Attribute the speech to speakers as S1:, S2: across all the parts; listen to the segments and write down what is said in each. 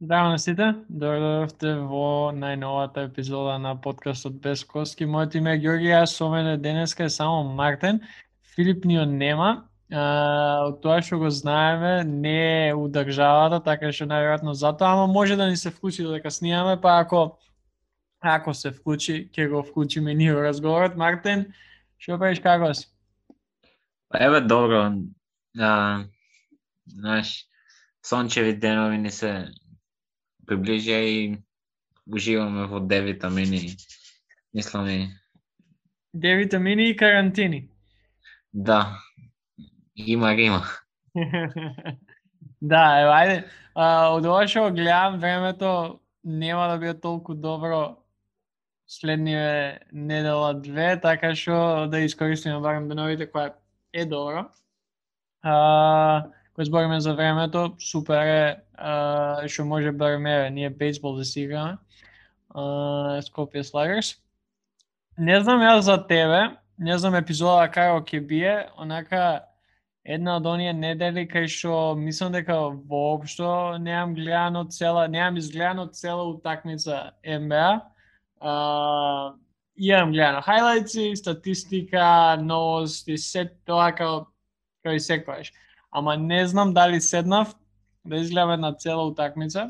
S1: Здраво на сите, дојдовте во најновата епизода на подкастот Без Коски. Моето име е Ѓорги, а со мене денеска е само Мартин. Филип ни нема. Од тоа што го знаеме, не е у државата, така што најверојатно затоа, ама може да ни се вклучи додека снимаме, па ако се вклучи, ќе го вклучиме ние во разговорот. Мартин, што правиш, како си?
S2: Еве, добро. Знаеш, сончеви денови ни се приближија и уживаме во D витамини. Мислам.
S1: D витамини и карантини.
S2: Да. Има.
S1: Да, ево, ајде. Од ова што гледам, времето нема да биде толку добро следниве недела две, така што да искористиме барем деновите која е добро. Кој збориме за времето, супер е што може барем ние бейсбол да си играме. Скопје Слагерс. Не знам јас за тебе, не знам епизода како ќе бие, онака една од оние недели кај што мислам дека воопшто немам изгледано цела утакмица НБА. Имам гледано хајлајци, статистика, новости, се тоа као и секојаш. Ама не знам дали седнав да изгледам една цела утакмица.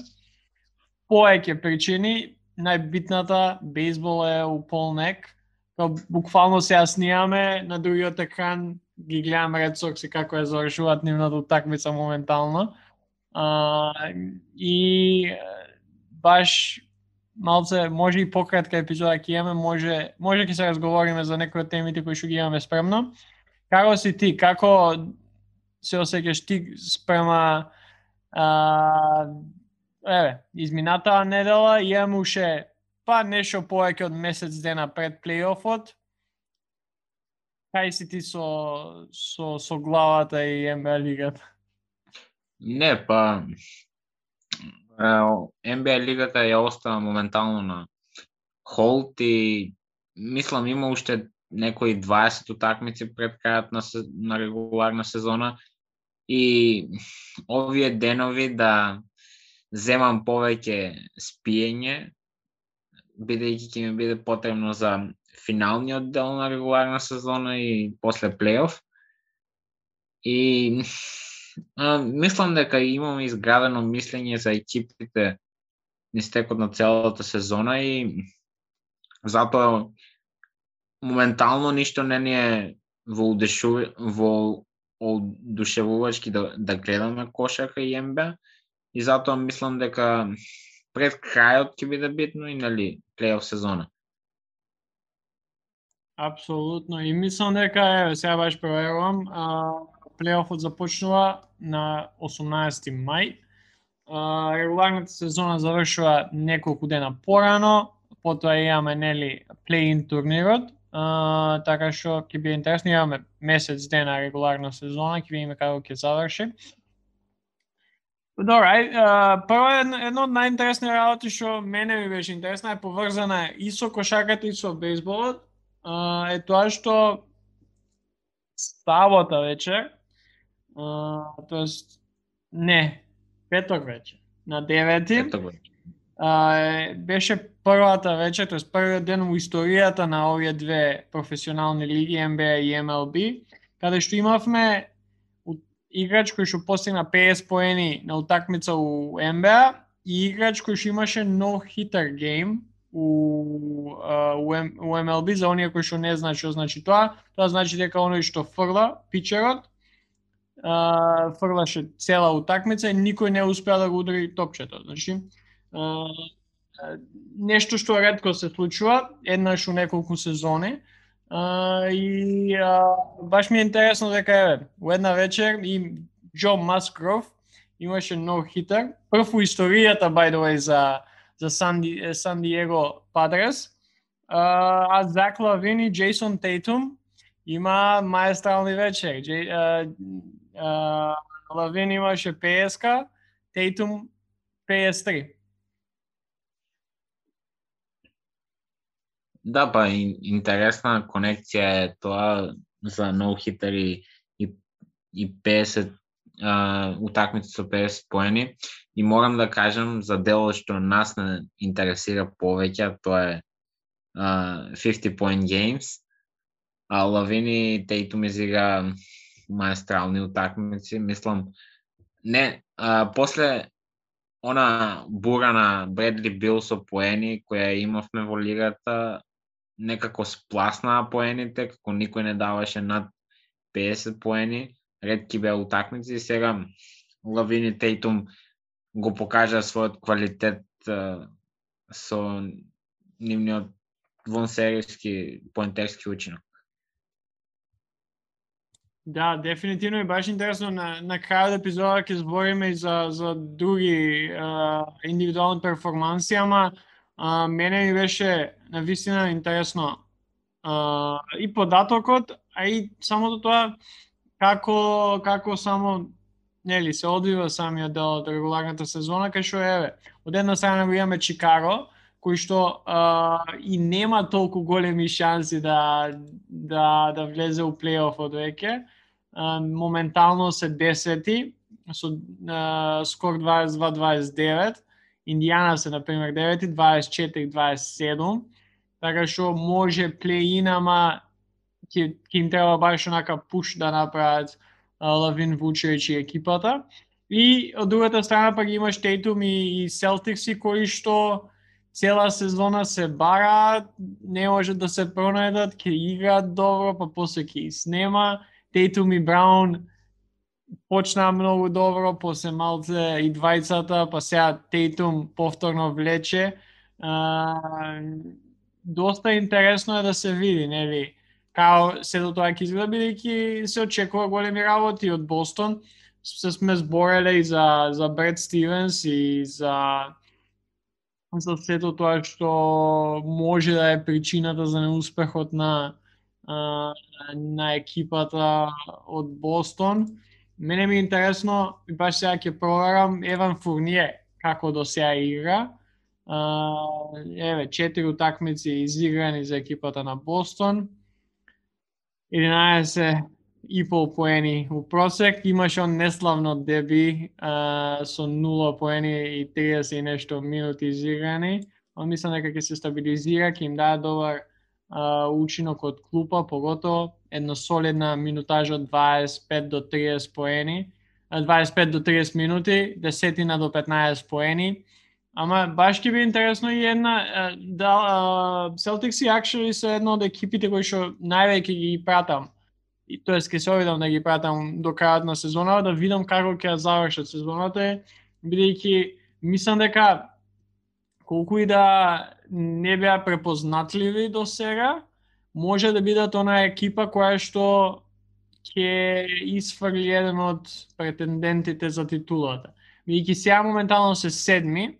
S1: Повеќе причини, најбитната, бейсбол е у полнек. Буквално сега снимаме, на другиот екран ги гледам Red Sox и како ја завршуваат нивната утакмица моментално. И баш малце, може и пократка епизода ќе имаме, може ќе се разговориме за некои од темите кои што ги имаме спремно. Како си ти? Како се осеќаш ти спрема изминатаа недела? Имаме уште нешто повеќе од месец дена пред плейофот. Кај си ти со главата и НБА лигата?
S2: Не, НБА лигата ја остава моментално на холд и мислам има уште некои 20 утакмици пред крајот на регуларна сезона и овие денови да земам повеќе спиење, бидејќи ќе ми биде потребно за финалниот дел на регуларна сезона и после плейоф. И мислам дека имаме изградено мислење за екипите низ текот на целата сезона и затоа моментално ништо не ни е во одушевувачки да гледаме кошарка и НБА и затоа мислам дека пред крајот ќе биде битно и плейоф сезона.
S1: Апсолутно. И мислам дека сега баш проверувам, плейофот започнува на 18 мај. Регуларната сезона завршува неколку дена порано, потоа имаме плей-ин турнирот. Така што ќе биде интересно, имаме месец дена регуларна сезона, ќе видиме како ќе заврши. Добро, прво едно од најинтересни работи што мене ми беше интересна е поврзана и со кошарката и со бейсболот, е тоа што сабота вечер, петок вечер, на 9 беше првата вечер, тоест првиот ден во историјата на овие две професионални лиги, НБА и МЛБ, каде што имавме играч кој што постигна 50 поени на утакмица у НБА и играч кој што имаше no-hitter game у МЛБ. За оние кои што не знаат што значи тоа значи дека оној што фрла, пичерот, фрлаше цела утакмица и никој не успеа да го удари топчето. Значи, нешто што ретко се случува, еднаш у неколку сезони. И баш ми е интересно дека у една вечер и Джо Маскров имаше no-hitter, прв у историјата by the way за Сан Диего Падрес, а Зак Лавин и Джейсон Тейтум има маестрални вечери. Лавин имаше 50, Тейтум 53.
S2: Да, интересна конекција е тоа за no-hitter и 50 утакмици со 50 поени и морам да кажам за делот што нас не интересира повеќе, тоа е 50 point games. Лавини Тейтум изигра маестрални утакмици, мислам не после она бура на Бредли Бил со поени која имавме во лигата, некако спласнаа поените, како никој не даваше над 50 поени, ретки беа утакмици и сега Лавини Тейтум го покажа својот квалитет со нивниот вонсериски поентерски учинок.
S1: Да, дефинитивно е баш интересно на крајот епизода ќе збориме и за други индивидуални перформанси, ама мене ми беше навистина интересно и податокот, а и самото тоа како само нели се одвива самиот дел од регуларната сезона, кај што еве од една страна го имаме Чикаго, кој што и нема толку големи шанси да влезе у плейофот веќе. Моментално се 10-ти со скор 22-29, Индијана се например 9-ти, 24-27, така што може плей-ин, ама ќе им треба баш онака пуш да направат Лавин, Вучевич и екипата. И од другата страна пак имаш Тейтум и Селтикси кои што цела сезона се бараат, не можат да се пронајдат, ќе играат добро, па после ќе снема. Тейтум и Браун почнаа многу добро, после малце и двајцата, па сега Тейтум повторно влече. Доста интересно е да се види, нели? Као сето тоа ќе изгледа, бидејќи се очекува големи работи од Бостон. Се сме збореле и за Бред Стивенс и за сето тоа што може да е причината за неуспехот на екипата од Бостон. Мене ми е интересно, и баш сега ќе проверам Еван Фурние како до сега игра. 4 утакмици изиграни за екипата на Бостон. 11,5 поени у просек. Имаше он неславно деби со 0 поени и 30 и нешто минути изиграни. Он мислам дека ќе се стабилизира, ќе им даде добар учинок од клупа, поготово една солидна минутажа од 25 до 30 поени, 25 до 30 минути, 10 до 15 поени. Ама баш ќе би интересно и една Celtics и actually се една од екипите кои што највеќе ги пратам. И тоа ќе се обидам да ги пратам до крајот на сезона, да видам како ќе завршат сезоната, бидејќи мислам дека колку и да не беа препознатливи до сега, може да бидат она екипа која што ќе исфрли еден од претендентите за титулата. Бидејќи сега моментално се седми,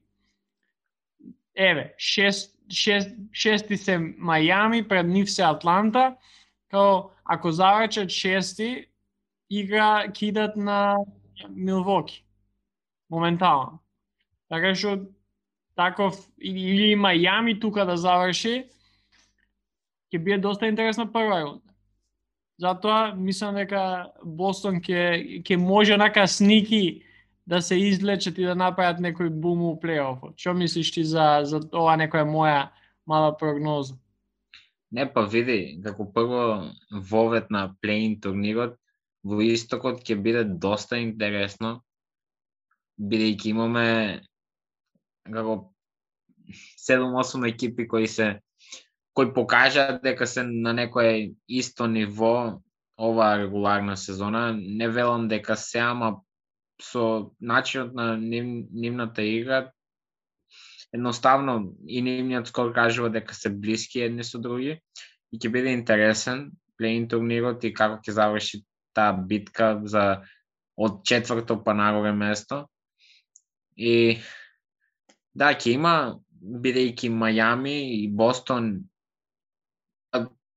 S1: шести се Мајами, пред нив се Атланта, као ако завршат шести, игра кидат на Милвоки. Моментално. Така што таков или Мајами тука да заврши, ќе биде доста интересна прва рунда. Затоа мислам дека Бостон ќе може онака сники да се извлечат и да направат некој бум у плейофот. Што мислиш ти за ова некоја моја мала прогноза?
S2: Не, па види, како прво вовет на плей-ин турнирот во истокот ќе биде доста интересно, бидејќи имаме како 7-8 екипи кои покажаат дека се на некое исто ниво оваа регуларна сезона. Не велам дека се, ама со начинот на нивната игра едноставно и нивниот скор кажува дека се блиски едни со други и ќе биде интересен плей-ин турнирот и како ќе заврши таа битка за од четврто па нагоре место. И да, ќе има, бидејќи Мајами и Бостон,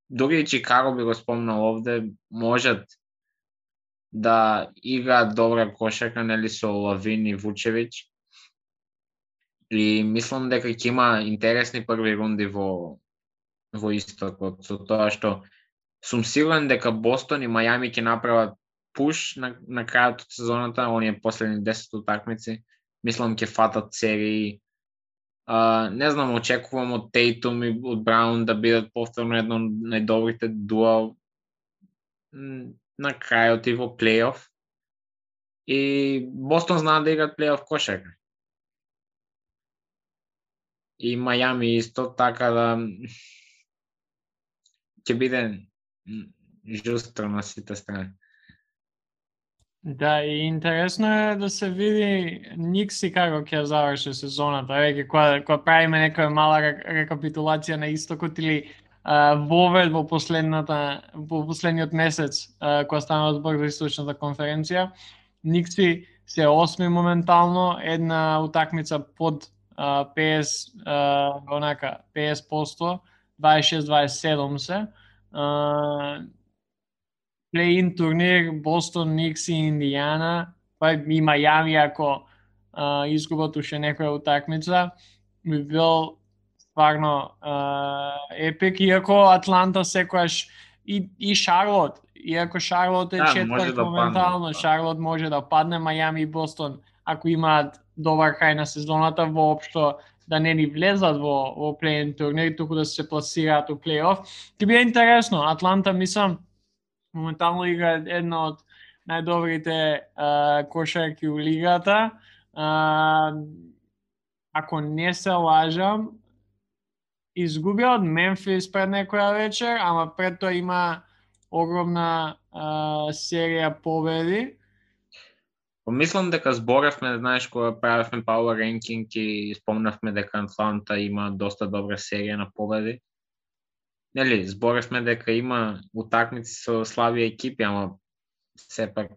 S2: дури и Чикаго би го спомнал овде, можат да играат добра кошарка, нели, со Лавин и Вучевич. И мислам дека ќе има интересни први рунди во истокот, со тоа што сум сигурен дека Бостон и Мајами ќе направат пуш на крајот од сезоната, оние последни 10 утакмици. Мислам ќе фатат серии. Не знам, очекувам од Тейтум и од Браун да бидат повторно едно од најдобрите дуа на крајот и во плейоф. И Бостон знаат да играат плейоф кошарка. И Мајами исто, така да ќе биде жустро на сите страни.
S1: Да, и интересно е да се види Никси како ќе заврши сезоната, веќе кога правиме некоја мала рекапитулација на истокот или вовед во последниот месец кога стана збор за источната конференција. Никси се 8 моментално, една утакмица под 50%, 26-27 се. Плей-ин турнир Бостон, Никс и Индијана, па и Мајами ако изгубат уште некоја утакмица, би бил стварно епик, иако Атланта секојаш и Шарлот, иако Шарлот е четврт моментално, Шарлот може да падне, Мајами и Бостон, ако имаат добар крај на сезоната, воопшто да не ни влезат во плей-ин турнир, туку да се пласираат у плей-оф. Ќе биде интересно, Атланта мислам моментално игра една од најдобрите кошарки у лигата. Ако не се лажам, изгубија од Мемфис пред некоја вечер, ама пред тоа има огромна серија победи.
S2: Мислам дека зборевме, знаеш, кога правевме Power Ranking и спомнавме дека Атланта има доста добра серија на победи. Нели, зборевме дека има утакмици со слаби екипи, ама сепак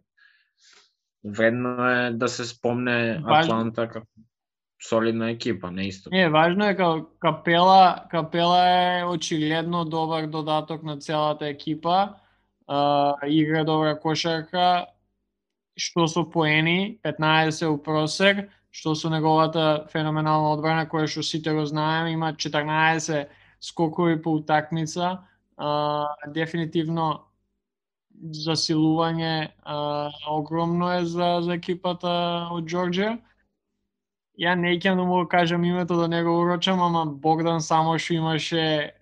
S2: вредно е да се спомне Атланта како солидна екипа, не исто.
S1: Не, важно е како Капела е очигледно добар додаток на целата екипа, игра добра кошарка, што со поени, 15 у просек, што со неговата феноменална одбрана која што сите го знаеме, има 14 скокови по утакмица, дефинитивно засилување огромно е за екипата од Џорџија. Ја не ќе да му кажам името да не го урочам, ама Богдан само што имаше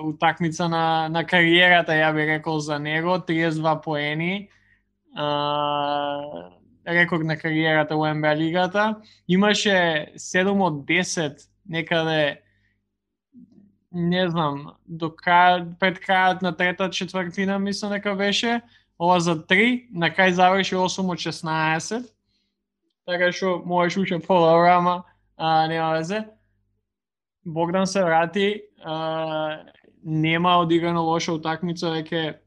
S1: утакмица на кариерата, ја би рекол за него, 32 поени, рекорд на кариерата во НБА лигата. Имаше 7 од 10 некаде, не знам, пред крајот на третата четвртина мислам дека беше, ова за 3, на крај заврши 8 од 16, така што можеш уште подобро, ама нема везе. Богдан се врати, нема одиграно лоша утакмица веќе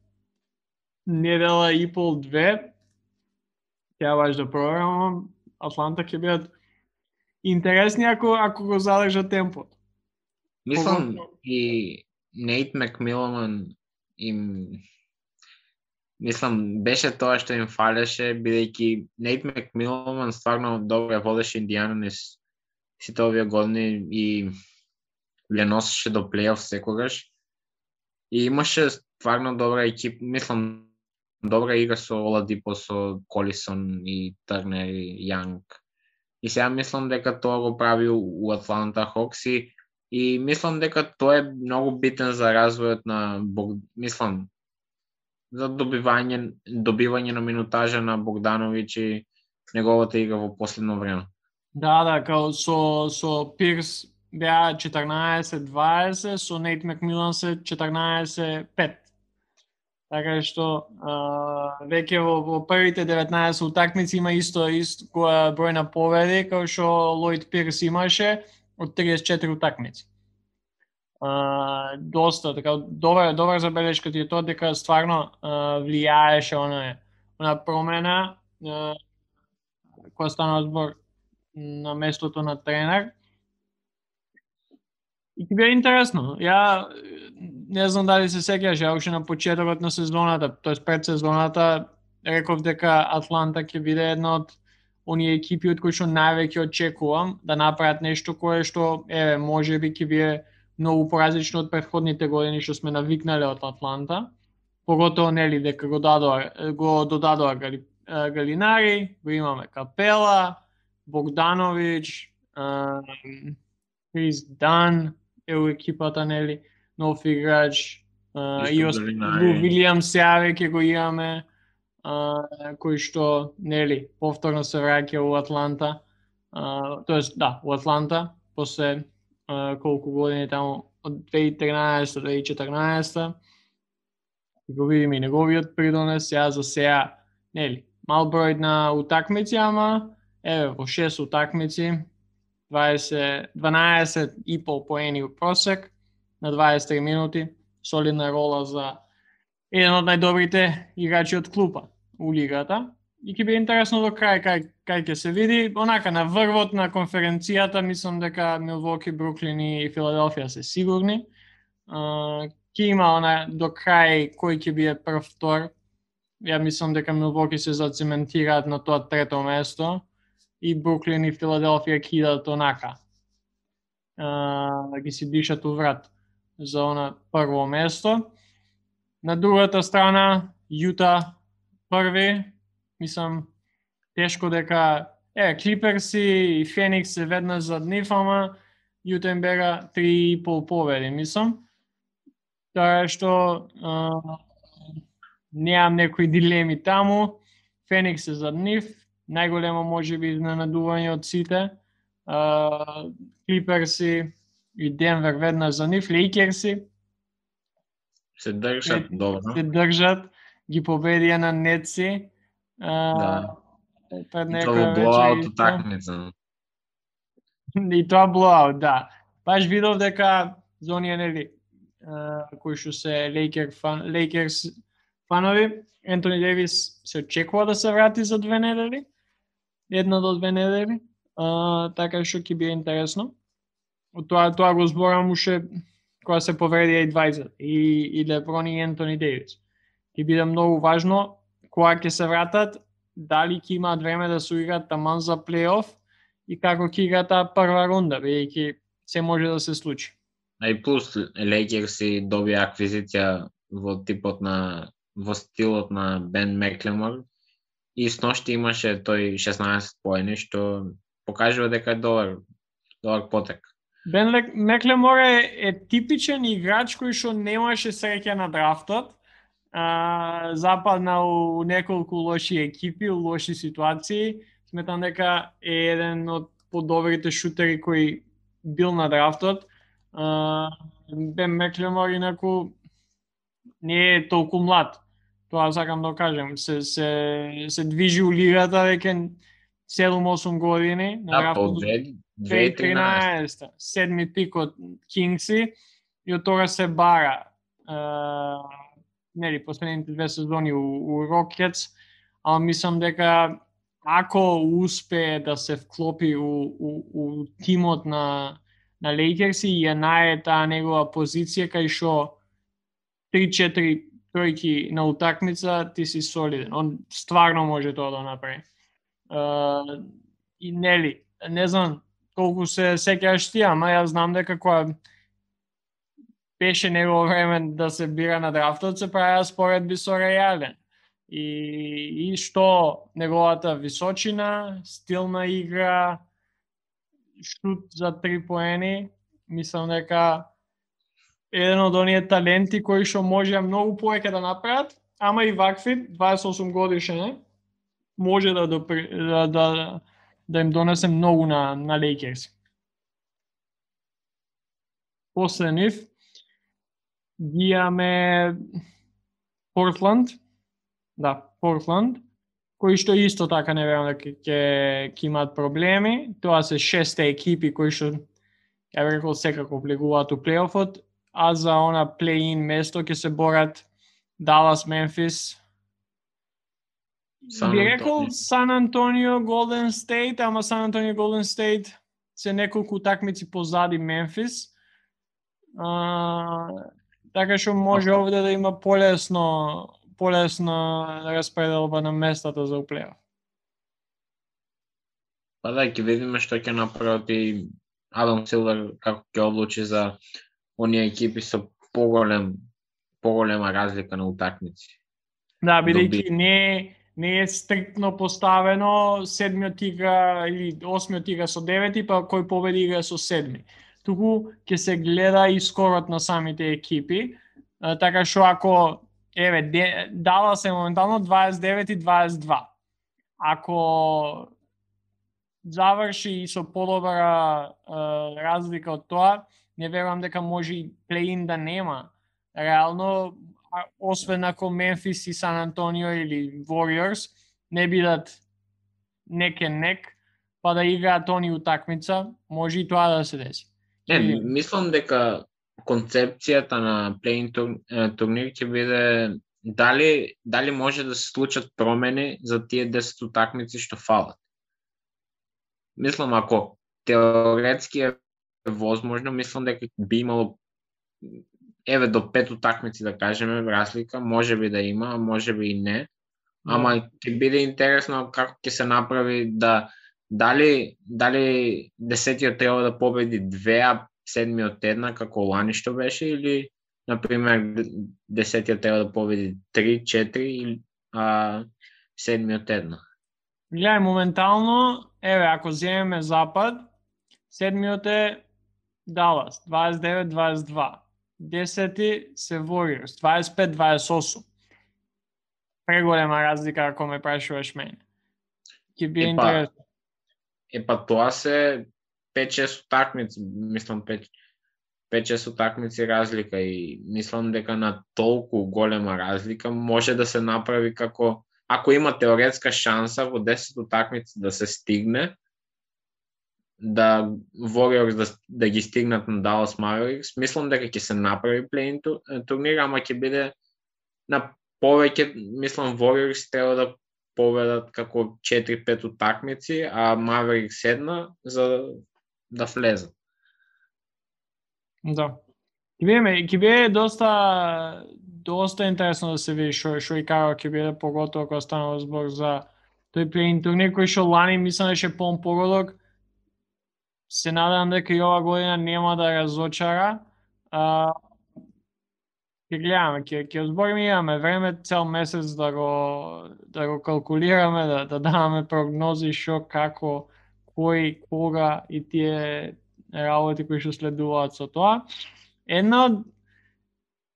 S1: недела и пол, 2. Ја баш да проверам, Атланта ќе бидат интересни ако го задржат темпот.
S2: Мислам и Нейт Макмилан мислам беше тоа што им фалеше, бидејќи Нейт Макмилан стварно добро водеше Индијана низ сите овие години и ја носеше до плейоф секогаш. И имаше стварно добра екипа, мислам добра игра со Оладипо, со Колисон и Турнер и Јанг. И сега мислам дека тоа го прави у Атланта Хокси и мислам дека тоа е многу битен за развојот на мислам за добивање на минутажа на Богдановиќ и неговата игра во последно време.
S1: Да, као со Пирс беа 14-20, со Нейт Макмилан се 14-5. Така што веќе во првите 19 утакмици има исто број на победи како што Лојд Пирс имаше од 34 утакмици. Доста, така добра забелешка ти е тоа дека стварно влијаеше она промена која стана збор на местото на тренер. И ќе биде интересно. Ја не знам дали се сеќаш, ја уште на почетокот на сезоната, тоест пред сезоната, реков дека Атланта ќе биде една од оние екипи од кои што највеќе очекувам да направат нешто кое што можеби ќе биде многу поразлично од претходните години што сме навикнале од Атланта. поготово нели дека го додадоа Галинари, го имаме Капела, Богданович, Крис Дан е у екипата, нели, нов играч, и Лу Вилијам Сеаве ќе го имаме, кој што, нели, повторно се враќа у Атланта, тоест, да, у Атланта, после колку години таму, од 2013-2014, го видиме и неговиот придонес, за сега, нели, мал број на утакмици, ама, еве, во 6 утакмици, 12,5 поени у просек на 23 минути, солидна рола за еден од најдобрите играчи од клупа у лигата. И ќе биде интересно до крај кај ќе се види. Онака на врвот на конференцијата мислам дека Милвоки, Бруклин и Филаделфија се сигурни. Ќе има до крај кој ќе биде прв, втор. Ја мислам дека Милвоки се зацементираат на тоа трето место и Бруклин и Филаделфија ќе идат онака. Да ги си дишат у врат за она прво место. На другата страна Јута први. Мислам, тешко дека Клиперси и Феникс се веднаш зад нив, ама Јута им бега 3,5 победи, мислам. Тоа е што неам некои дилеми таму. Феникс е зад нив, најголемо можеби изненадување од сите. Клиперси и Денвер веднаш за нив, Лейкерси
S2: се држат добро.
S1: Се држат, ги победија на Нетси.
S2: Да. И тоа блоаут утакмица.
S1: И тоа блоаут, да. Баш видов дека за оние, нели, кои што се Лейкерс фанови, Ентони Дејвис се очекува да се врати за 2 недели. 1 до 2 недели. Така што ќе биде интересно. Тоа го зборам уште кога се повредија и двајцата, и Леброн и Ентони Дејвис. Ќе биде многу важно кога ќе се вратат, дали ќе имаат време да се играат таман за плейоф и како ќе играат таа прва рунда, бидејќи се може да се случи.
S2: А и плюс Лейкерси добија аквизиција во стилот на Бен Меклемор и сношти имаше тој 16 поени, што покажува дека е добар потек.
S1: Бен Меклемор е типичен играч кој што немаше среќа на драфтот. Западна у неколку лоши екипи, у лоши ситуации. Сметам дека е еден од подобрите шутери кои бил на драфтот. Бен Меклемор инаку не е толку млад. Тоа сакам да кажем. Се движи у лигата веќе 7-8 години. На драфтот 2013. 7 пик од Кингси и од тога се бара. Нели, последните 2 сезони у Рокетс, ама мислам дека ако успее да се вклопи у тимот на Лейкерси и ја најде таа негова позиција кај што 3-4 тројки на утакмица, ти си солиден. Он стварно може тоа да направи. И нели, не знам колку се сеќаваш ти, ама јас знам дека кога беше негово време да се бира на драфтот, се правеа споредби со Реален. И што неговата височина, стил на игра, шут за 3 поени, мислам дека еден од оние таленти кои што може многу повеќе да направат, ама и вакви 28 годишен може да им донесе многу на Лейкерс. После нив ги имаме Портланд, кои што исто така не верувам дека ќе имаат проблеми. Тоа се 6 екипи кои што, ја би рекол, секако влегуваат у плейофот, а за она плей-ин место ќе се борат Далас, Мемфис, би рекол Сан Антонио, Голден Стейт, ама Сан Антонио, Голден Стейт се неколку утакмици позади Мемфис. Така што може овде да има полесно распределба на местата за плейоф.
S2: Па да, ќе видиме што ќе направат и Адам Силвер, како ќе одлучи за оние екипи со поголем поголема разлика на утакмици.
S1: Да, бидејќи не е стриктно поставено седмиот игра или осмиот игра со девети, па кој победи игра со седми. Туку ќе се гледа и скорот на самите екипи, така што ако Далас е моментално 29 и 22. Ако заврши и со подобра разлика од тоа, не верувам дека може и плей-ин да нема. Реално, освен ако Мемфис и Сан Антонио или Warriors не бидат нек, па да играат они утакмица, може и тоа да се деси.
S2: Мислам дека концепцијата на плей-ин турнир ќе биде дали може да се случат промени за тие 10 утакмици што фалат. Мислам, ако теоретски е возможно, мислам дека би имало до 5 утакмици, да кажеме, разлика, може би да има, може би и не. Ама ќе биде интересно како ќе се направи дали 10-тиот треба да победи 2, а 7-миот 1, како лани што беше, или, например, 10-тиот треба да победи 3, 4, а 7-миот 1.
S1: Гледај, моментално, ако земеме Запад, 7-миот е Далас, 29-22. 10-ти се Warriors, 25-28. Преголема разлика ако ме прашуваш мене. Ќе биде интересно.
S2: Тоа се 5-6 утакмици, мислам 5-6 утакмици разлика и мислам дека на толку голема разлика може да се направи како ако има теоретска шанса во 10 утакмици да се стигне, да Warriors да ги стигнат на Dallas Mavericks, мислам дека ќе се направи плей-ин турнир, ама ќе биде на повеќе, мислам Warriors треба да победат како 4-5 утакмици, а Mavericks 1 за да влезат.
S1: Да. Ќе биде доста интересно да се види што и како ќе биде, поготово кога станува збор за тој плей-ин турнир кој што лани мислам дека полн погодок. Се надевам дека и ова година нема да разочара. Ќе гледаме, ќе збориме, имаме време цел месец да го калкулираме, да даваме прогнози што, како, кој, кога и тие работи кои што следуваат со тоа.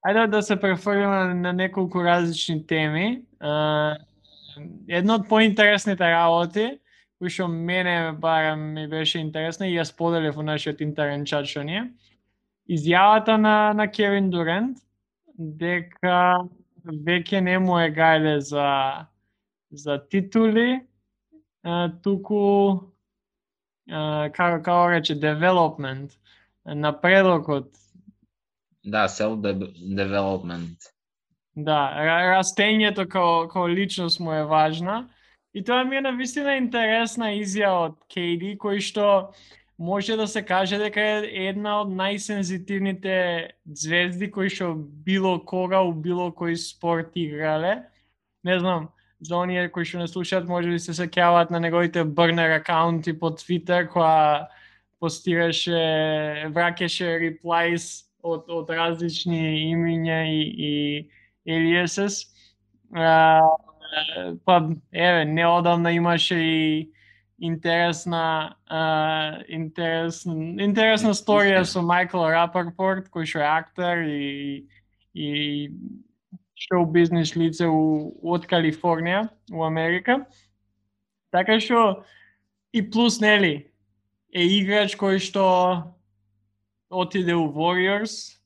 S1: Ајде да се префрлиме на неколку различни теми. Една од поинтересните работи, кој што мене барем ми беше интересна и ја споделив во нашиот интерен чат што ние, изјавата на Кевин Дурент дека веќе не му е гајле за титули, туку како рече development, напредокот.
S2: Да, self-development.
S1: Да, растењето како личност му е важна. И тоа ми е навистина интересна изјава од KD, кој што може да се каже дека е една од најсензитивните звезди кои што било кога у било кој спорт играле. Не знам, за оние кои што не слушаат, може би се сеќаваат на неговите бурнер акаунти по Твитер, која постираше, враќаше реплајс од различни имиња и алиасес. Па, неодамна имаше и интересна сторија со Майкл Рапапорт, кој што е актер и шоу бизнес лице од Калифорнија, у Америка. Така што и плюс, нели, е играч кој што отиде у Warriors,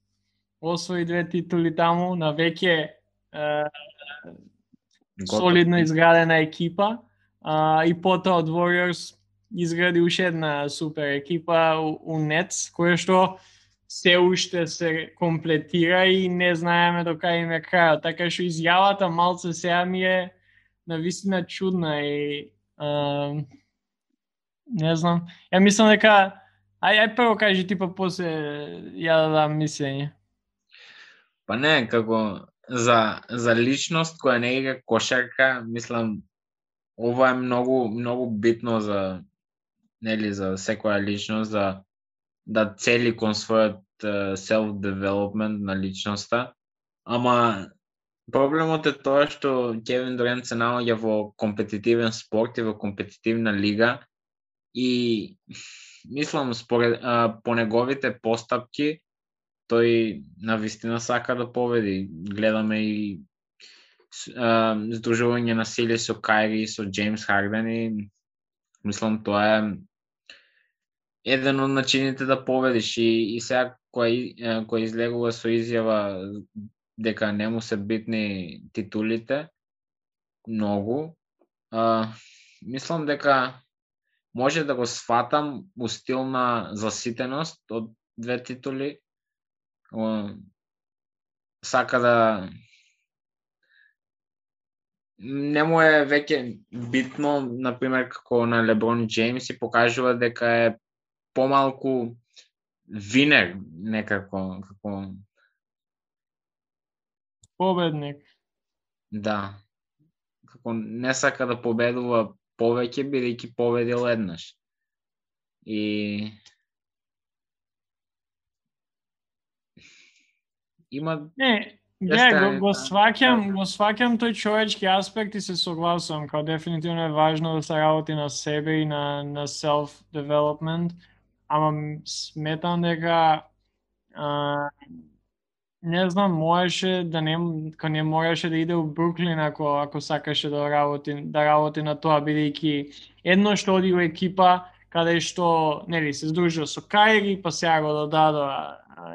S1: освои 2 титули таму, на веќе солидно изградена екипа, и потоа од Warriors изгради уште една супер екипа у Nets, која што се уште се комплетира и не знаеме до кај им е крајот. Така што изјавата малце сега ми е навистина чудна и не знам. Ја мислам дека ај прво кажи ти, па после ја да дам мислење.
S2: Па не, како за личност која не игра кошарка, мислам ова е многу битно за секоја личност да цели кон својот self-development на личноста. Ама проблемот е тоа што Кевин Дурант се наоѓа во компетитивен спорт и во компетитивна лига и мислам по неговите постапки тој навистина сака да победи. Гледаме и здружување на сили со Кайри и со Джеймс Харден и мислам тоа е еден од начините да победиш и сега кој излегува со изјава дека не му се битни титулите многу, мислам дека може да го сфатам у стил на заситеност од 2 титули. Сака да не му е веќе битно, например, како на Леброн Джеймс и покажува дека е помалку винер некако, како
S1: победник.
S2: Да. Како не сака да победува повеќе, бидејќи победил еднаш. И има
S1: го сваќам тој човечки аспект и се согласувам, као дефинитивно е важно да се работи на себе и на self-development, ама сметам дека не знам, можеше да не можеше да иде у Бруклин ако сакаше да работи на тоа, бидејќи едно што оди у екипа каде што нели се здружува со Кайри, па сега го додадо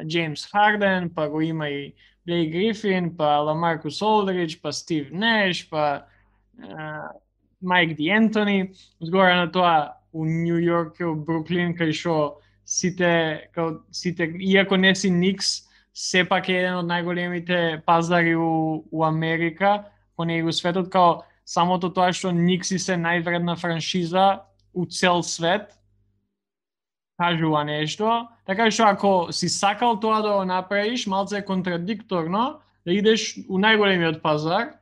S1: Джеймс Харден, па го има и Блейк Грифин, па Ламаркус Олдридж, па Стив Неш, па Майк Ди Ентони. Згора на тоа у Нью Йорк и у Бруклин, кај што сите, иако не си Никс, сепак е еден од најголемите пазари у Америка, по него светот, као самото тоа што Никси се највредна франшиза у цел свет, кажува нешто, така што ако си сакал тоа да го направиш, малце е контрадикторно да идеш у најголемиот пазар,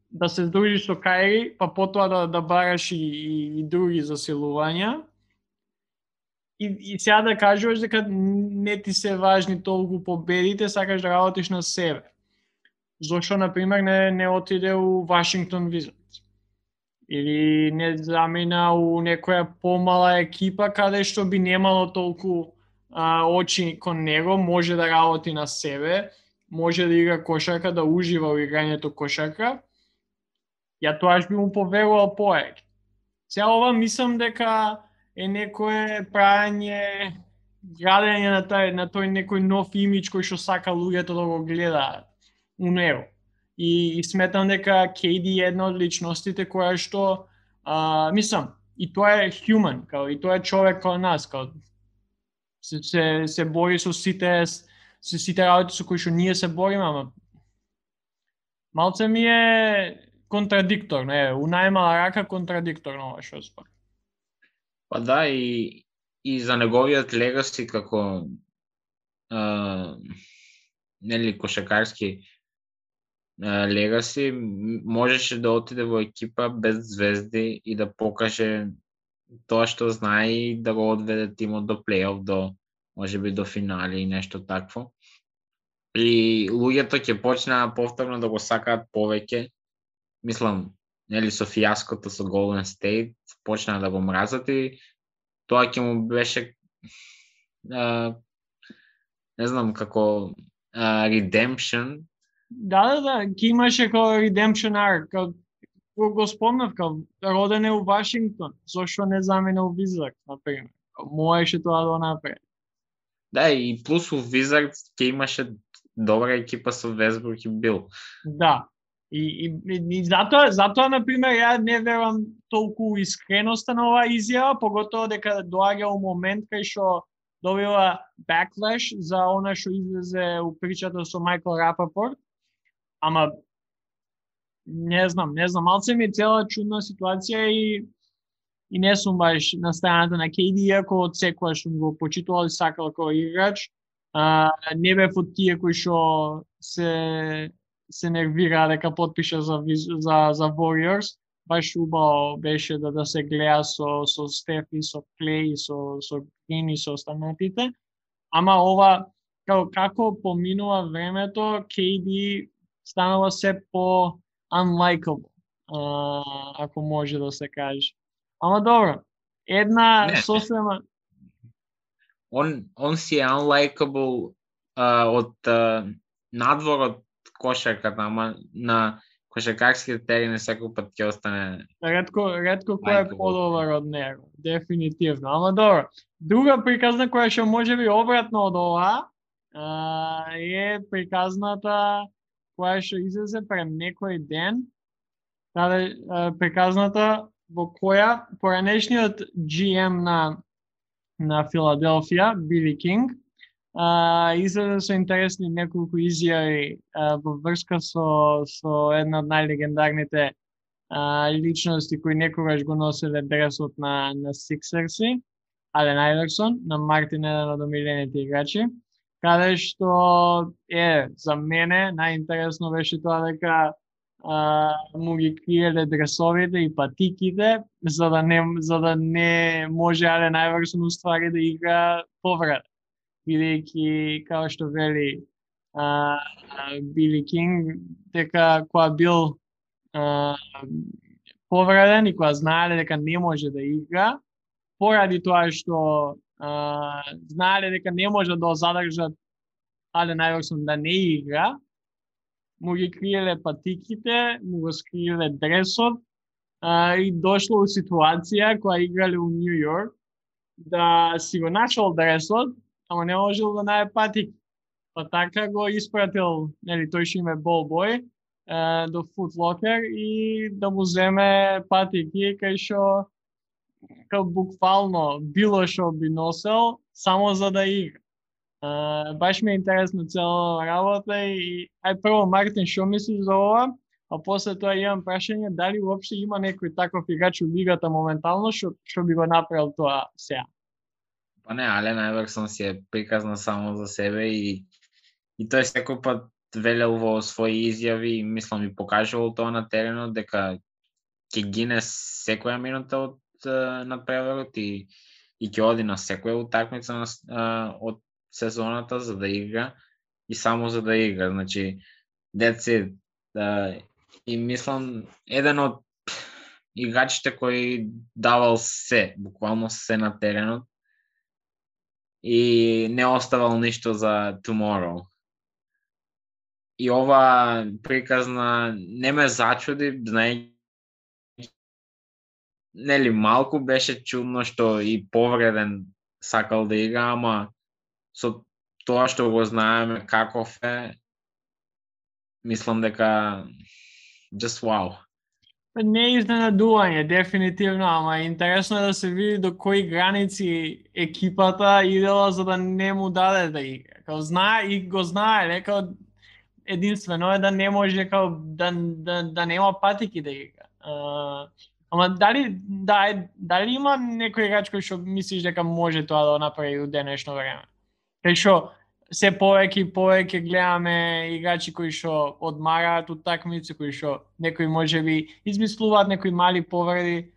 S1: да се здружиш со Кайри, па потоа да бараш и други засилувања. И сега да кажуваш дека не ти се важни толку победите, сакаш да работиш на себе. Зошто, например, не отиде у Вашингтон Wizards? Или не замина у некоја помала екипа каде што би немало толку очи кон него, може да работи на себе, може да игра кошарка, да ужива во играњето кошарка. Ја тоаш би му поверувал повеќе. Сега ова мислам дека е некое правење, градење на тој некој нов имидж кој што сака луѓето да го гледаат у него. И сметам дека KD е една од личностите која што, мислам, и тоа е human, као и тоа е човек као нас, као се бори со сите работи со кои што ние се бориме, ама малце ми е контрадикторно, у најмала рака контрадикторно ова што според.
S2: Па да, и за неговиот легаси како нели кошакарски легаси, можеше да отиде во екипа без звезди и да покаже тоа што знае и да го одведе тимот до плейоф, до можеби до финали и нешто такво. И луѓето ќе почнаа повторно да го сакаат повеќе. Мислам, нели со фијаското со Golden State почнаа да го мразат и тоа ќе му беше не знам како redemption.
S1: Да, ќе имаше како redemption arc, го спомнав, роден е у Вашингтон, зошто не замена у Wizards, например. Можеше тоа да го направи.
S2: Да, и плюс у Wizards ќе имаше добра екипа со Весбрук и Бил.
S1: Да. И затоа, например, ја не верувам толку искреноста на оваа изјава, поготово дека доаѓа у момент кај што добива backlash за она што излезе у причата со Майкл Рапапорт. Ама не знам, малце ми е цела чудна ситуација и не сум баш на страната на KD, иако од секоја што го почитувал и сакал како играч, не бев од тие кои што се нервира дека потпиша за Warriors. Баш убаво беше да се гледа со Стеф и со Клей и со Грин и со останатите. Ама ова, како поминува времето, KD станува се по unlikable, ако може да се каже. Ама добро, една сосема...
S2: Он си е unlikable од надвор од кошарката, ама на кошаркарските терени секој пат ќе остане...
S1: Ретко кој е подобар од него, дефинитивно. Ама добро, друга приказна која што може би обратно од ова е приказната која што излезе пред некој ден, каде приказната во која поранешниот GM на Филаделфија, Били Кинг, излезе со интересни неколку изјави во врска со една од најлегендарните личности кои некогаш го носеле дресот на Сиксерси, Ален Айверсон, на Мартин, еден од омилените играчи, каде што за мене најинтересно беше тоа дека му ги криеле дресовите и патиките за да не може Ален Айверсон уствари да игра повреда. Бидејќи, како што вели Били Кинг, дека кога бил повреден и кога знаеле дека не може да игра, поради тоа што знаеле дека не може да задржат Ален Айверсон да не игра, му ги криеле патиките, му го скриеле дресот и дошло у ситуација која играле у Нью Йорк да си го нашол дресот, ама не можел да најде патик. Па така го испратил, нели, тој што име болбој, до Foot Locker и да му земе патики кај што буквално било што би носел само за да игра. Баш ми е интересно цела работа и прво Мартин, што мислиш за ова? А после тоа имам прашање дали уопште има некој таков играч у лигата моментално што би го направил тоа сега.
S2: Па не, Ален Айверсон си е приказна само за себе и тој секој пат велел во своји изјави и мислам и покажувал тоа на теренот дека ќе гине секоја минута од надпреварот и ќе оди на секоја утакмица од сезоната за да игра и само за да игра. Значи, that's it. И мислам, еден од играчите кој давал се, буквално се на теренот и не оставал ништо за tomorrow. И ова приказна не ме зачуди, знаејќи, нели, малку беше чудно што и повреден сакал да игра, ама со тоа што го знаеме каков е, мислам дека just wow.
S1: Не е изненадување, дефинитивно, ама интересно е да се види до кои граници екипата идела за да не му даде да игра. Као знае и го знае, као единствено е да не може као да нема патики да игра. Ама дали има некој играч кој што мислиш дека може тоа да направи у денешно време? Кај што се повеќе гледаме играчи кои што одмараат утакмици, кои што некои можеби измислуваат некои мали повреди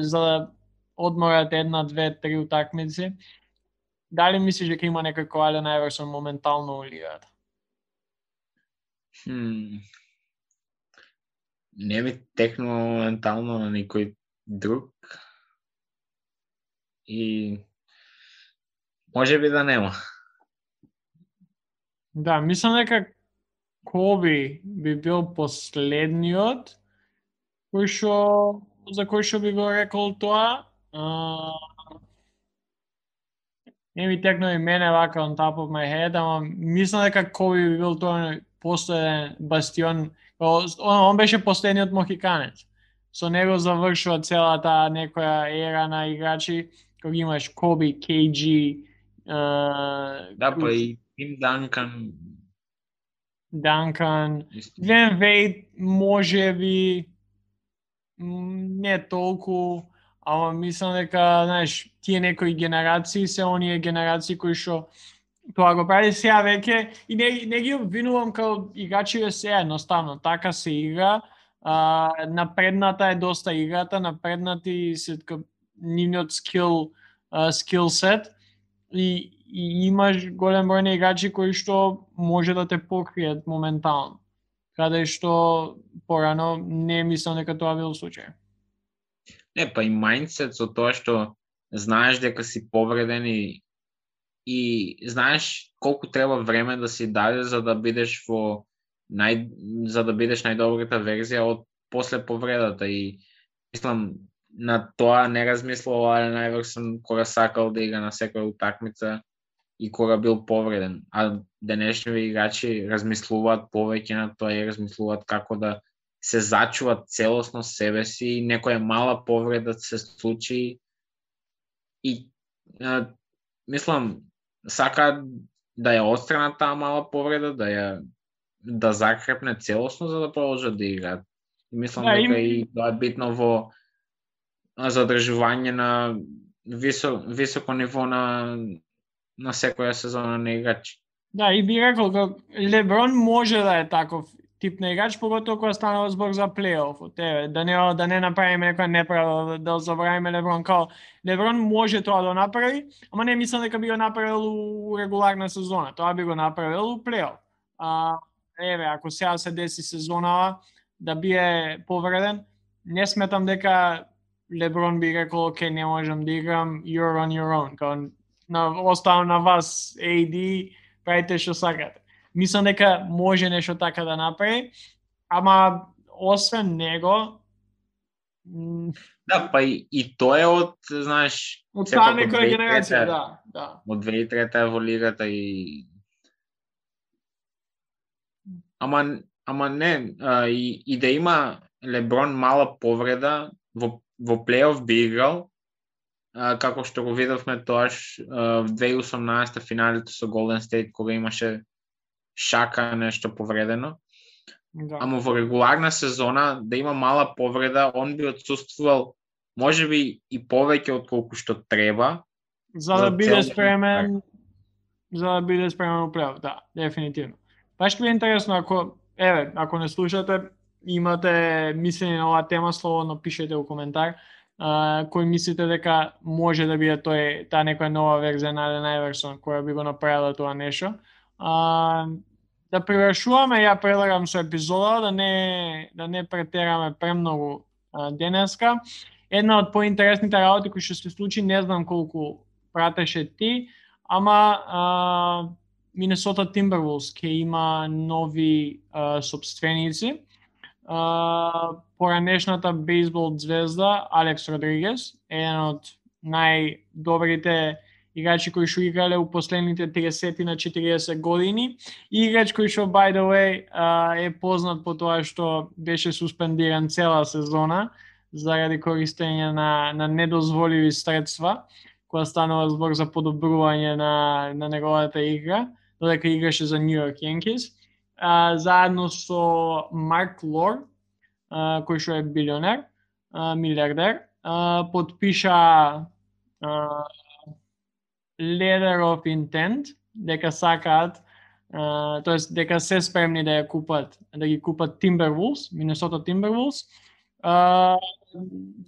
S1: за да одморат една, две, три утакмици. Дали мислиш дека има некој кој Ален Айверсон моментално у лигата?
S2: Не ми текнува моментално на никој друг. И може би да нема.
S1: Да, мислам дека Коби би бил последниот за кој што би го рекол тоа. Не ми текнува и мене вака on top of my head, ама мислам дека Коби би бил тоа последен бастион. Он беше последниот мохиканец. Со него завршува целата некоја ера на играчи, кога имаш Коби, KG,
S2: да, па и Тим
S1: Данкан, Глен Вейд може би не толку, ама мислам дека, знаеш, тие некои генерации се оние генерации кои што тоа го прави сега веќе и не ги обвинувам као играчи се едноставно, така се игра. Напредната е доста играта, напреднати се нивниот скил сет и имаш голем број на играчи кои што може да те покријат моментално. каде што порано не мислам дека тоа бил случај.
S2: Не, па и мајндсет со тоа што знаеш дека си повреден и знаеш колку треба време да си даде за да бидеш за да бидеш најдобрата верзија од после повредата и мислам на тоа не размислувал Ален Айверсон кога сакал да игра на секоја утакмица и кога бил повреден. А денешни играчи размислуваат повеќе на тоа и размислуваат како да се зачуват целосно себе си и некоја мала повреда се случи и мислам сака да ја отстрана таа мала повреда, да закрепне целосно за да продолжат да играат. И мислам дека и тоа е битно во задржување на високо ниво на секоја сезона на играч.
S1: Да, и би рекол дека Леброн може да е таков тип на играч, поготово кога станува збор за плейоф. Да не направиме некоја неправда, да забравиме Леброн као Леброн може тоа да направи, ама не мислам дека би го направил у регуларна сезона. Тоа би го направил у плейоф. Ако сега се деси сезонава да бие повреден, не сметам дека Леброн би рекол, окей, не можам да играм, you're on your own. Оставам на вас, AD, правите што сакате. Мислам дека може нешто така да направи, ама освен него...
S2: Да, па и тоа е од, знаеш...
S1: Од таа некоја генерација, да.
S2: Од 2003-та во лигата и... Ама не, и да има Леброн мала повреда, во плейоф би играл, како што го видовме тоаш в 2018 финалите со Голден Стейт, кога имаше Шака нешто повредено.
S1: Да.
S2: Ама во регуларна сезона да има мала повреда, он би отсуствувал можеби и повеќе од колку што треба.
S1: За да биде спремен у плейоф, да, дефинитивно. Баш ќе би интересно ако не слушате, имате мислење на оваа тема, слободно пишете во коментар. Кој мислите дека може да биде таа некоја нова верзија на Ален Айверсон која би го направила тоа нешто. Да привршуваме, ја предлагам со епизода, да не претераме премногу денеска. Една од поинтересните работи кои што се случи, не знам колку пратеше ти, ама Минесота Тимбервулс ќе има нови собственици. Поранешната бейсбол звезда Алекс Родригес, еден од најдобрите играчи кои што играле у последните 30 на 40 години. Играч кој што, by the way, е познат по тоа што беше суспендиран цела сезона заради користење на недозволиви средства, кога станува збор за подобрување на неговата игра, додека играше за Нью Йорк Янкис. Заедно со Марк Лор, кој што е билионер, милиардер, подпиша letter of intent, дека сакаат, тоест дека се спремни да ги купат Timberwolves, Minnesota Timberwolves.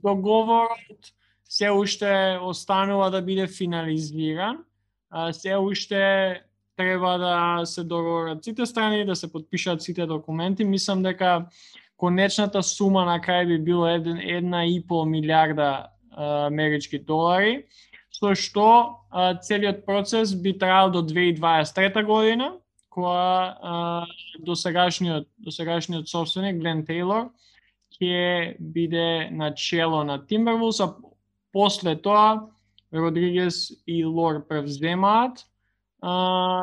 S1: Договорот се уште останува да биде финализиран, се уште треба да се договорат сите страни, да се подпишат сите документи. Мислам дека конечната сума на крај би било 1,5 милиарда амерички долари, со што целиот процес би траел до 2023 година, кога досегашниот собственик Глен Тейлор ќе биде на чело на Timberwolves, а после тоа Родригес и Лор превземаат.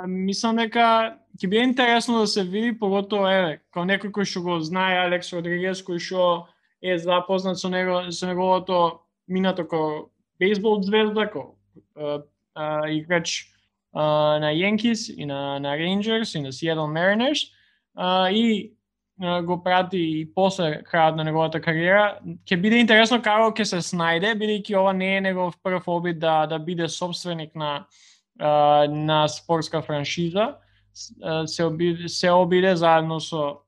S1: Мислам дека ќе биде интересно да се види, поготово као некој кој што го знае Алекс Родригес, кој што е запознат со неговото минато како бейсбол звезда, како играч на Yankees и на Rangers и на Seattle Mariners, и го прати и после крајот на неговата кариера. Ќе биде интересно како ќе се снајде, бидејќи ова не е негов прв обид да биде собственик на спортска франшиза. Се обиде заедно со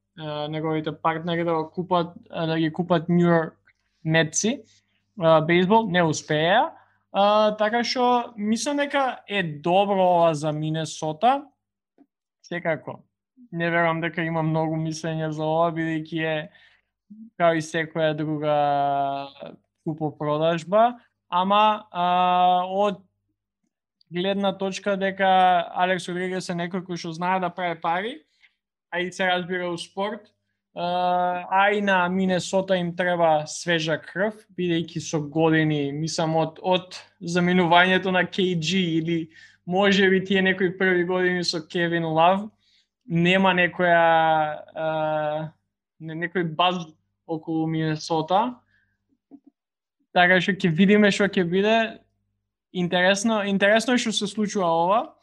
S1: неговите партнери да ги купат Нью Йорк Метси бейсбол, не успеа. Така што мислам дека е добро ова за Минесота. Секако не верувам дека има многу мислење за ова, бидејќи е као и секоја друга купопродажба, ама од гледна точка дека Алекс Родригес е некој кој што знае да прави пари, а и се разбира у спорт, а и на Минесота им треба свежа крв, бидејќи со години, мислам од заминувањето на KG или можеби тие некои први години со Кевин Лав, нема некој баз околу Минесота. Така што ќе видиме што ќе биде. Интересно е што се случува ова.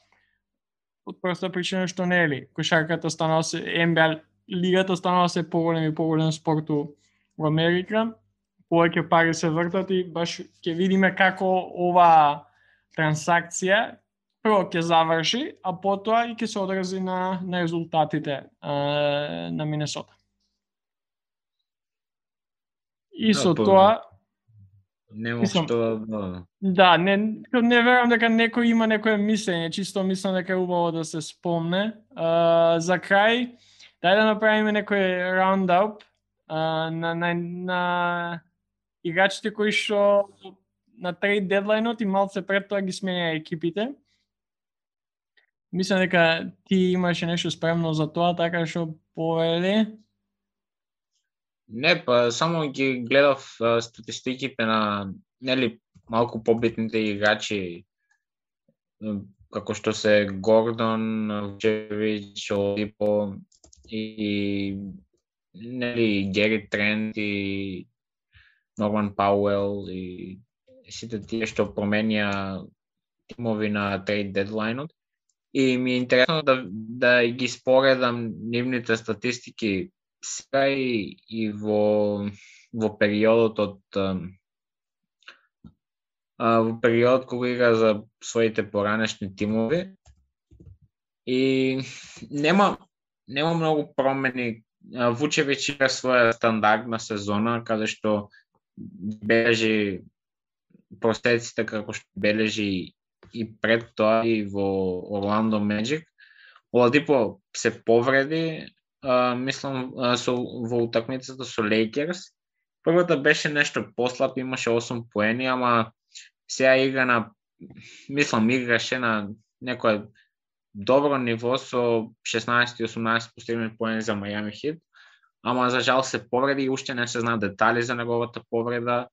S1: Од проста причина што не е ли кошарката станува се NBA лигата станува се поголем спорт во Америка. Повеќе пари се вртат и баш ќе видиме како ова трансакција прво ќе заврши, а потоа и ќе се одрази на резултатите на Минесота. И со тоа
S2: нема што
S1: да, не верувам дека некој има некое мислење, чисто мислам дека е убаво да се спомне. За крај, дај да направиме некој раундап на играчите кои што на трейд дедлајнот и малце пред тоа ги сменија екипите. Мислам дека ти имаше нешто спремно за тоа, така што повели.
S2: Не, па само ги гледав статистиките на малку побитните играчи, како што се Гордон, Вучевич, Оладипо и Гери Трент и Норман Пауел и сите тие што променија тимови на трейд дедлајнот. И ми е интересно да ги споредам нивните статистики сега и во периодот кога игра за своите поранешни тимови. И нема многу промени. Вучевич игра своја стандардна сезона, каде што бележи простеците како што бележи и пред тоа и во Орландо Меджик. Оладипо се повреди, мислам, во утакмицата со Лейкерс. Првата беше нешто послаб, имаше 8 поени, ама сега играше на некој добро ниво со 16-18 постигнати поени за Мајами Хит, ама за жал се повреди и уште не се знаат детали за неговата повреда.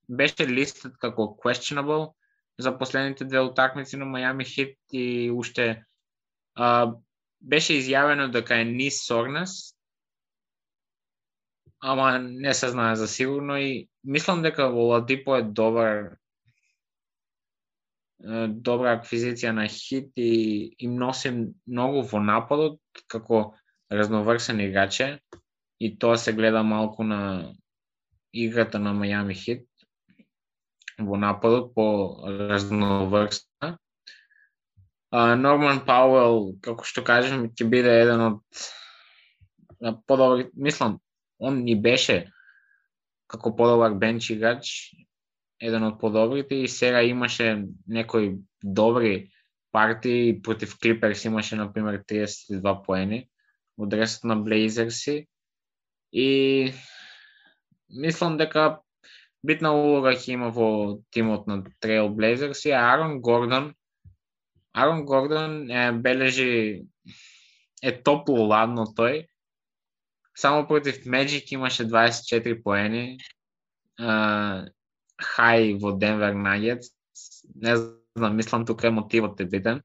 S2: Беше листет како questionable за последните две утакмици на Мајами Хит и уште беше изјавено дека е низ сорнес, ама не се знае за сигурно и мислам дека Оладипо е добра аквизиција на Хит и им носи многу во нападот како разноврсен играч и тоа се гледа малку на играта на Мајами Хит во нападот по разноврсна. Норман Пауел, како што кажем, ќе биде еден од подобри, мислам, он ни беше како подобар бенч играч, еден од подобрите и сега имаше некои добри партии против Клиперс, имаше например 32 поени од дресот на Блейзерси и мислам дека битна улога ќе има во тимот на Трейл Блейзерси, а Арон Гордон бележи топло ладно тој. Само против Меджик имаше 24 поени. Хај во Денвер Нагетс. Не знам, мислам тука мотивот е битен.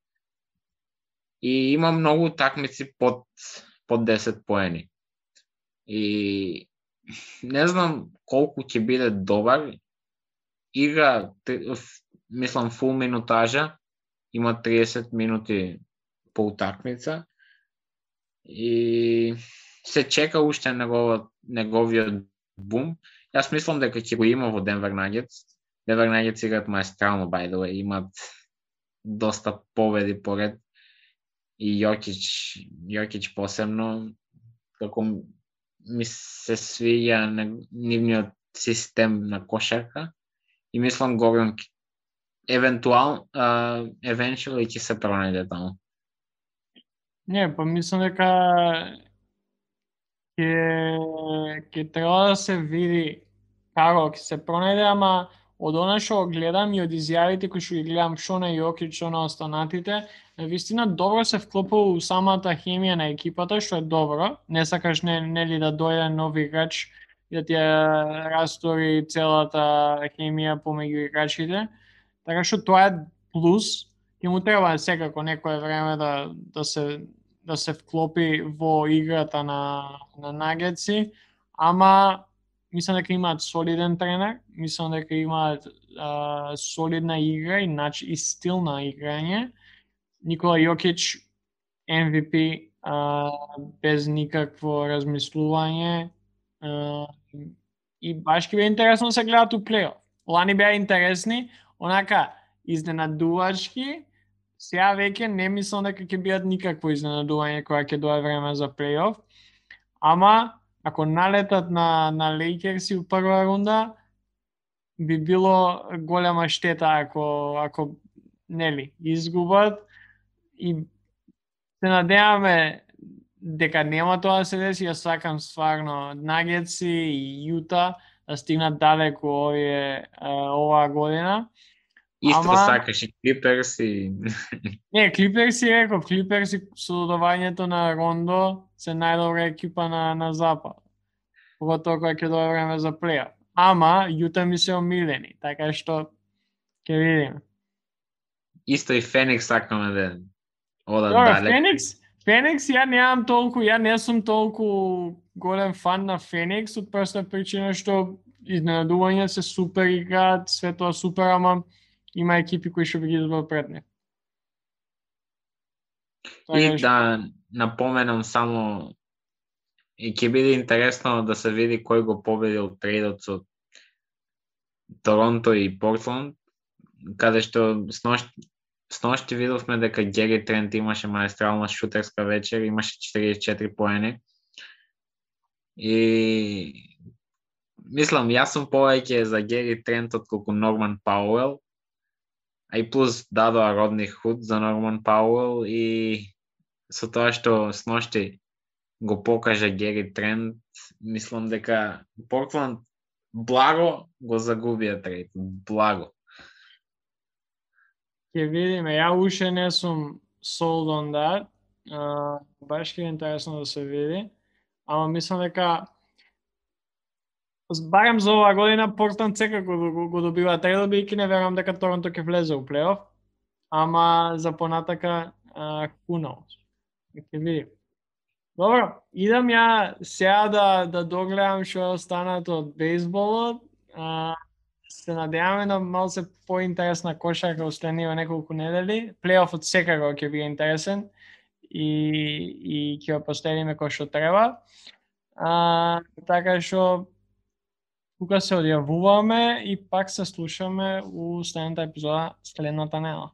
S2: И има многу такмици под 10 поени. И не знам колку ќе биде добар. Игра, мислам, фул минутажа. Има 30 минути по утакмица. И се чека уште неговиот бум. Јас мислам дека ќе го има во Денвер Нагетс. Денвер Нагетс играат маестрално, by the way. Имат доста победи поред. И Јокич посебно. Како ми се свиѓа нивниот систем на кошарка. И мислам Гордон eventually ќе се пронајде таму.
S1: Не, па мислам дека ќе треба да се види како ќе се пронајде, ама од она што гледам и од изјавите кои што ги гледам што на Јокич, што на останатите, вистина добро се вклопува у самата хемија на екипата, што е добро. Не сакаш нели да дојде нов играч и да ти ја растори целата хемија помеѓу играчите. Така што тоа е плюс. Ќе му треба секако некое време да се вклопи во играта на Нагетси, ама мислам дека имаат солиден тренер, мислам дека имаат солидна игра и стил на играње. Никола Јокич MVP без никакво размислување и баш ќе биде интересно да се гледат у плейоф. Лани беа интересни, онака изненадувачки. Сега веќе не мислам дека ќе бидат никакво изненадување кога ќе дое време за плейоф. Ама ако налетат на Лейкерси у прва рунда, би било голема штета ако нели изгубат и се надеваме дека нема тоа да се деси. Ја сакам стварно Нагетси и Јута да стигнат далеку оваа година.
S2: Исто сакаш и Клиперси.
S1: Не, Клиперси реков, Клиперси со додавањето на Рондо се најдобра екипа на запад. Поготово кога ќе дое време за плейоф. Ама Јута ми се омилени, така што ќе видиме.
S2: Исто и Феникс сакаме да одат
S1: далеку. Феникс ја не сум толку голем фан на Феникс од проста причина што изненадување се супер играат, све тоа супер, ама има екипи кои што би ги избрал пред нив.
S2: И да напоменам само и ќе биде интересно да се види кој го победил трейдот со Торонто и Портланд, каде што сношти видовме дека Гери Трент имаше маестрална шутерска вечер, имаше 44 поени. И мислам, јас сум повеќе за Гери Трент отколку Норман Пауел, а и плюс дадоа Родни Худ за Норман Пауел и со тоа што сношти го покажа Гери Трент, мислам дека Портланд благо го загубија трейд, благо.
S1: Ќе видиме, ја уште не сум sold on that, баш ќе е интересно да се види, ама мислам дека барем за оваа година Портланд секако го добива трейдот, бидејќи не верувам дека Торонто ќе влезе у плейоф, ама за понатака who knows. Ќе видим. Добро, идам ја сега да догледам што е останато од бейсболот. Се надеваме на малку се поинтересна кошарка останува неколку недели. Плейофот секако ќе биде интересен и ќе го поставиме кој што треба. Така што тука се одјавуваме и пак се слушаме у следната епизода следната недела.